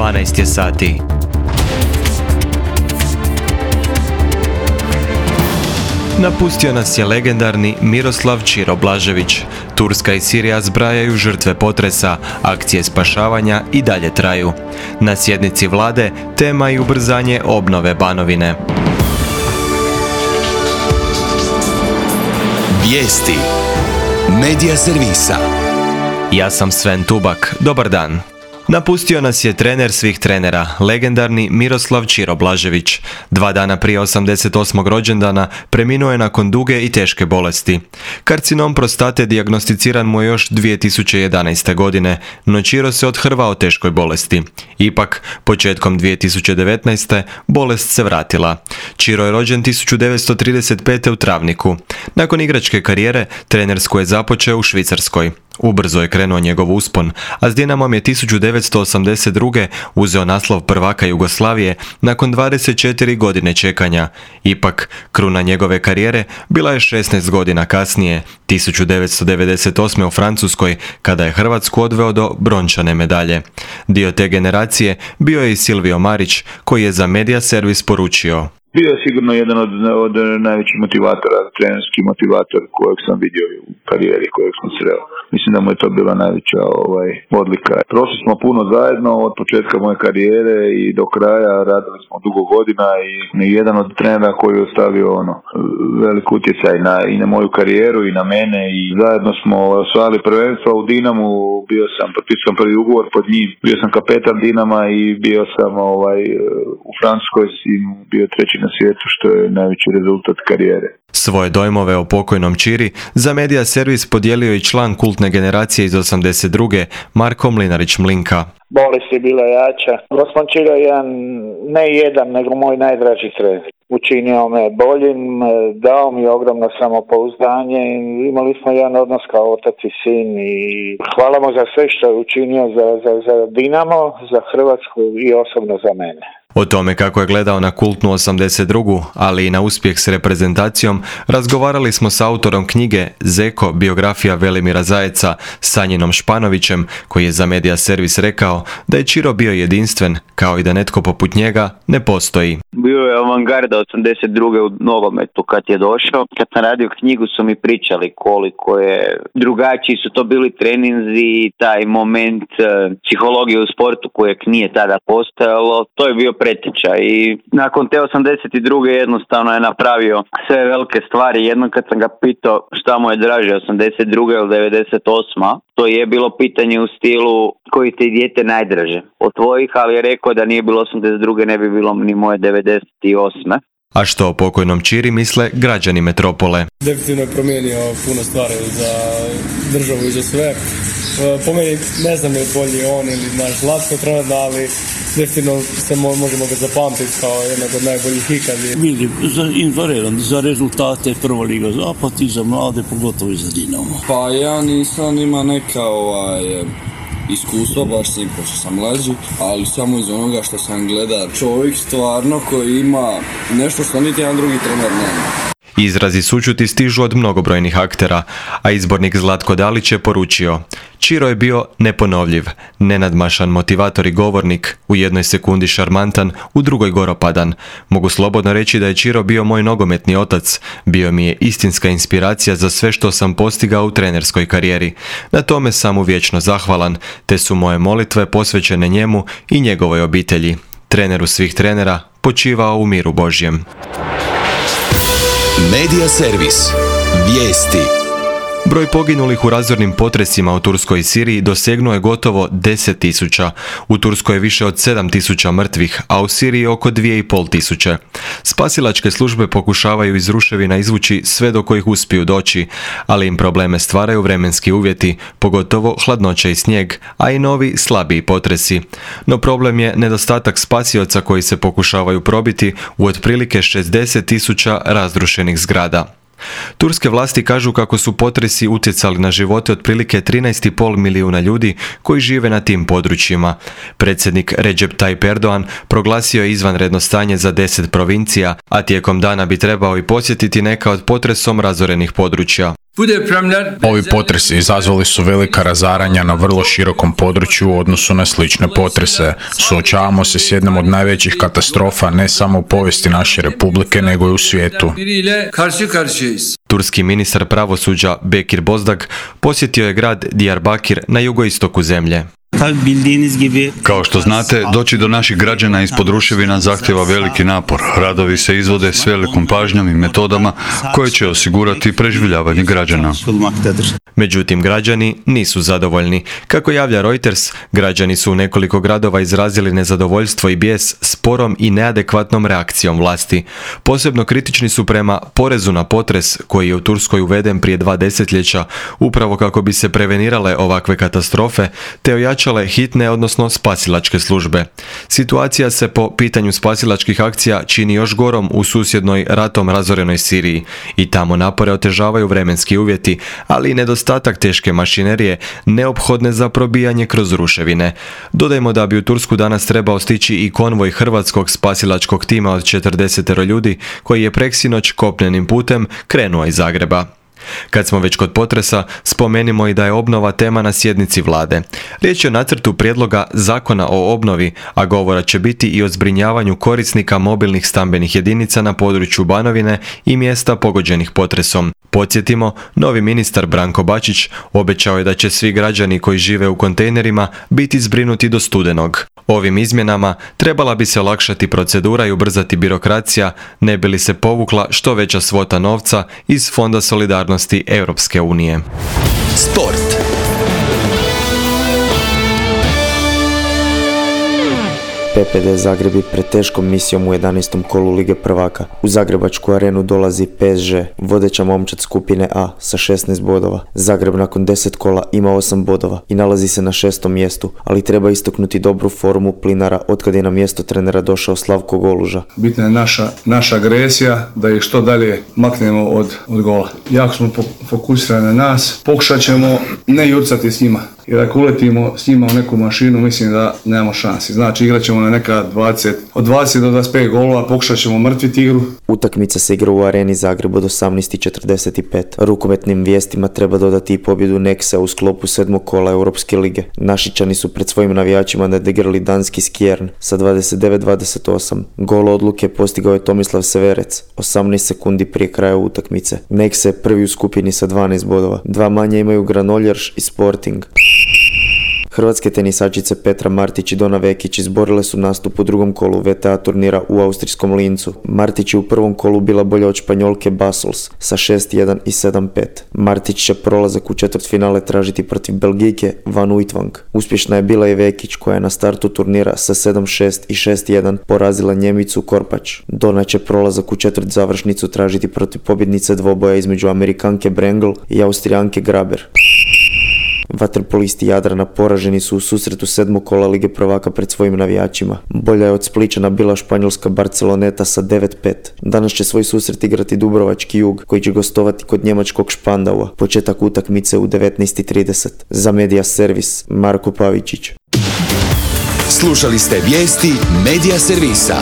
12 je sati. Napustio nas je legendarni Miroslav Ćiro Blažević. Turska i Sirija zbrajaju žrtve potresa, akcije spašavanja i dalje traju. Na sjednici vlade tema i ubrzanje obnove Banovine. Vijesti Medija servisa. Ja sam Sven Tubak, dobar dan. Napustio nas je trener svih trenera, legendarni Miroslav Ćiro Blažević. 2 dana prije 88. rođendana preminuo je nakon duge i teške bolesti. Karcinom prostate dijagnosticiran mu je još 2011. godine, no Ćiro se odhrvao teškoj bolesti. Ipak, početkom 2019. bolest se vratila. Ćiro je rođen 1935. u Travniku. Nakon igračke karijere, trenersku je započeo u Švicarskoj. Ubrzo je krenuo njegov uspon, a s Dinamom je 1982. uzeo naslov prvaka Jugoslavije nakon 24 godine čekanja. Ipak, kruna njegove karijere bila je 16 godina kasnije, 1998. u Francuskoj, kada je Hrvatsku odveo do brončane medalje. Dio te generacije bio je i Silvio Marić, koji je za Medija servis poručio: Bio je sigurno jedan od najvećih motivatora, trenerski motivator kojeg sam vidio u karijeri, kojeg sam sreo. Mislim da mu je to bila najveća odlika. Prošli smo puno zajedno od početka moje karijere i do kraja, radili smo dugo godina i jedan od trenera koji je ostavio velik utjecaj i na moju karijeru i na mene, i zajedno smo osvajali prvenstvo u Dinamu. Potpisao prvi ugovor pod njim, bio sam kapetan Dinama i bio sam u Francuskoj i bio treći na svijetu, što je najveći rezultat karijere. Svoje dojmove o pokojnom Ćiri za Medija servis podijelio i član kultne generacije iz 82. Marko Mlinarić-Mlinka. Bolest je bila jača. Gospodin Ćiro je jedan, nego moj najdraži trener. Učinio me boljim, dao mi ogromno samopouzdanje. Imali smo jedan odnos kao otac i sin i hvala mu za sve što je učinio za Dinamo, za Hrvatsku i osobno za mene. O tome kako je gledao na kultnu 82. ali i na uspjeh s reprezentacijom, razgovarali smo s autorom knjige Zeko, biografija Velimira Zajeca, Sanjinom Španovićem, koji je za Medija servis rekao da je Ćiro bio jedinstven, kao i da netko poput njega ne postoji. Bio je avangarda 82. u nogometu kad je došao. Kad sam radio knjigu su mi pričali koliko je drugačiji su to bili treninzi, taj moment psihologije u sportu kojeg nije tada postojalo. To je bio preteča i nakon te 82. jednostavno je napravio sve velike stvari. Jednom kad sam ga pitao šta mu je draže, 82. ili 98. To je bilo pitanje u stilu koji ti dijete najdraže od tvojih, ali je rekao da nije bilo 82. ne bi bilo ni moje 98. A što o pokojnom Ćiri misle građani metropole? Definitivno je promijenio puno stvari za državu i za sve. Po meni ne znam je bolji on ili naš Zlatko trenutno, ali definitivno se možemo ga zapamtiti kao jednog od najboljih ikad. Vidim, izvanredan za rezultate Prva liga Zapad i za mlade, pogotovo i za Dinamo. Pa ja nisam ima neka iskustva, baš s njim pošto sam mlađi, ali samo iz onoga što sam gledao. Čovjek stvarno koji ima nešto što niti jedan drugi trener nema. Izrazi sućuti stižu od mnogobrojnih aktera, a izbornik Zlatko Dalić je poručio: Ćiro je bio neponovljiv, nenadmašan motivator i govornik, u jednoj sekundi šarmantan, u drugoj goropadan. Mogu slobodno reći da je Ćiro bio moj nogometni otac, bio mi je istinska inspiracija za sve što sam postigao u trenerskoj karijeri. Na tome sam mu vječno zahvalan, te su moje molitve posvećene njemu i njegovoj obitelji. Treneru svih trenera, počivao u miru Božjem. Medija servis. Vijesti. Broj poginulih u razornim potresima u Turskoj i Siriji dosegnuo je gotovo 10.000. U Turskoj je više od 7.000 mrtvih, a u Siriji oko 2.500. Spasilačke službe pokušavaju iz ruševina izvući sve do kojih uspiju doći, ali im probleme stvaraju vremenski uvjeti, pogotovo hladnoća i snijeg, a i novi, slabiji potresi. No problem je nedostatak spasioca koji se pokušavaju probiti u otprilike 60.000 razrušenih zgrada. Turske vlasti kažu kako su potresi utjecali na živote otprilike 13,5 milijuna ljudi koji žive na tim područjima. Predsjednik Recep Tayyip Erdogan proglasio je izvanredno stanje za 10 provincija, a tijekom dana bi trebao i posjetiti neka od potresom razorenih područja. Ovi potresi izazvali su velika razaranja na vrlo širokom području u odnosu na slične potrese. Suočavamo se s jednom od najvećih katastrofa ne samo u povijesti naše republike, nego i u svijetu. Turski ministar pravosuđa Bekir Bozdag posjetio je grad Diyarbakir na jugoistoku zemlje. Kao što znate, doći do naših građana ispod ruševina zahtjeva veliki napor. Radovi se izvode s velikom pažnjom i metodama koje će osigurati preživljavanje građana. Međutim, građani nisu zadovoljni. Kako javlja Reuters, građani su u nekoliko gradova izrazili nezadovoljstvo i bijes sporom i neadekvatnom reakcijom vlasti. Posebno kritični su prema porezu na potres koji je u Turskoj uveden prije 2 desetljeća, upravo kako bi se prevenirale ovakve katastrofe, te ojačale hitne, odnosno spasilačke službe. Situacija se po pitanju spasilačkih akcija čini još gorom u susjednoj ratom razorenoj Siriji i tamo napore otežavaju vremenski uvjeti, ali i nedostatak teške mašinerije neophodne za probijanje kroz ruševine. Dodajmo da bi u Tursku danas trebao stići i konvoj hrvatskog spasilačkog tima od 40 ljudi koji je preksinoć kopnenim putem krenuo iz Zagreba. Kad smo već kod potresa, spomenimo i da je obnova tema na sjednici vlade. Riječ je o nacrtu prijedloga zakona o obnovi, a govora će biti i o zbrinjavanju korisnika mobilnih stambenih jedinica na području Banovine i mjesta pogođenih potresom. Podsjetimo, novi ministar Branko Bačić obećao je da će svi građani koji žive u kontejnerima biti zbrinuti do studenog. Ovim izmjenama trebala bi se olakšati procedura i ubrzati birokracija, ne bi li se povukla što veća svota novca iz Fonda solidarnosti Europske unije. Sport. PPD Zagreb je pred teškom misijom u 11. kolu Lige prvaka. U Zagrebačku arenu dolazi PSG, vodeća momčad skupine A sa 16 bodova. Zagreb nakon 10 kola ima 8 bodova i nalazi se na 6. mjestu, ali treba istaknuti dobru formu Plinara otkad je na mjesto trenera došao Slavko Goluža. Bitna je naša agresija, da ih što dalje maknemo od gola. Jako smo fokusirani na nas, pokušat ćemo ne jurcati s njima. Jer ako uletimo s njima u neku mašinu, mislim da nemamo šansi. Znači igrat ćemo na neka od 20 do 25 golova, pokušat ćemo mrtviti igru. Utakmica se igra u areni Zagreb od 18:45. Rukometnim vijestima treba dodati i pobjedu Nexa u sklopu 7. kola Europske lige. Našičani su pred svojim navijačima nadigrali danski Skjern sa 29-28. Gol odluke postigao je Tomislav Severec 18 sekundi prije kraja utakmice. Nexa je prvi u skupini sa 12 bodova. 2 manje imaju Granollers i Sporting. Hrvatske tenisačice Petra Martić i Dona Vekić izborile su nastup u drugom kolu WTA turnira u austrijskom Lincu. Martić je u prvom kolu bila bolja od Španjolke Bassols sa 6-1 i 7-5. Martić će prolazak u četvrtfinale tražiti protiv Belgijke Van Uytvanck. Uspješna je bila i Vekić koja je na startu turnira sa 7-6 i 6-1 porazila Njemicu Korpač. Dona će prolazak u četvrt završnicu tražiti protiv pobjednice dvoboja između Amerikanke Brengel i Austrijanke Graber. Vaterpolisti Jadrana poraženi su u susretu 7. kola Lige prvaka pred svojim navijačima. Bolja je od Spličana bila španjolska Barceloneta sa 9-5. Danas će svoj susret igrati Dubrovački Jug koji će gostovati kod njemačkog Špandaua. Početak utakmice u 19:30. Za Media Servis Marko Pavičić. Slušali ste vijesti Media Servisa.